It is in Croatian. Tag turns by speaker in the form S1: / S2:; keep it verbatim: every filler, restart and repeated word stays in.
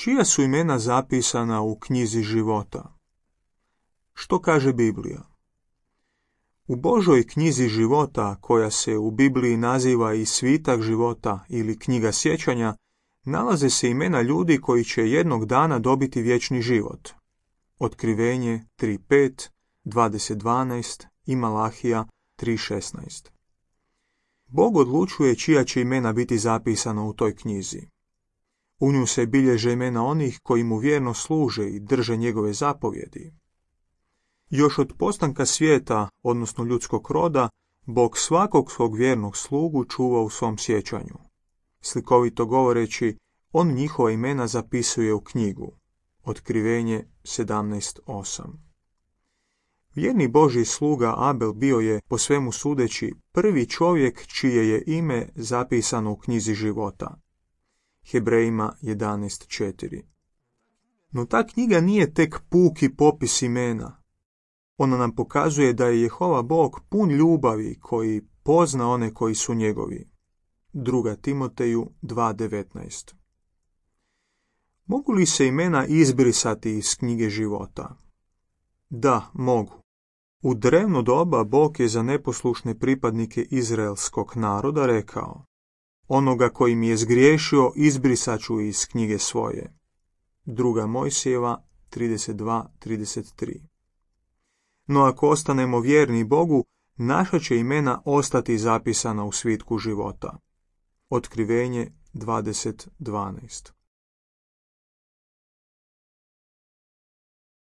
S1: Čija su imena zapisana u knjizi života? Što kaže Biblija? U Božoj knjizi života, koja se u Bibliji naziva i svitak života ili knjiga sjećanja, nalaze se imena ljudi koji će jednog dana dobiti vječni život. Otkrivenje tri pet, dvadeset dvanaest i Malahija tri šesnaest. Bog odlučuje čija će imena biti zapisana u toj knjizi. U nju se bilježe imena onih koji mu vjerno služe i drže njegove zapovjedi. Još od postanka svijeta, odnosno ljudskog roda, Bog svakog svog vjernog slugu čuva u svom sjećanju. Slikovito govoreći, on njihova imena zapisuje u knjigu. Otkrivenje sedamnaest osam. Vjerni Božji sluga Abel bio je, po svemu sudeći, prvi čovjek čije je ime zapisano u knjizi života. Hebrejima jedanaest četiri. No ta knjiga nije tek puki popis imena. Ona nam pokazuje da je Jehova Bog pun ljubavi koji pozna one koji su njegovi. Druga Timoteju dva devetnaest. Mogu li se imena izbrisati iz knjige života? Da, mogu. U drevno doba Bog je za neposlušne pripadnike izraelskog naroda rekao: onoga koji mi je zgriješio izbrisat ću iz knjige svoje. Druga Mojsijeva trideset dva trideset tri. No ako ostanemo vjerni Bogu, naša će imena ostati zapisana u svitku života. Otkrivenje dvadeset dvanaest.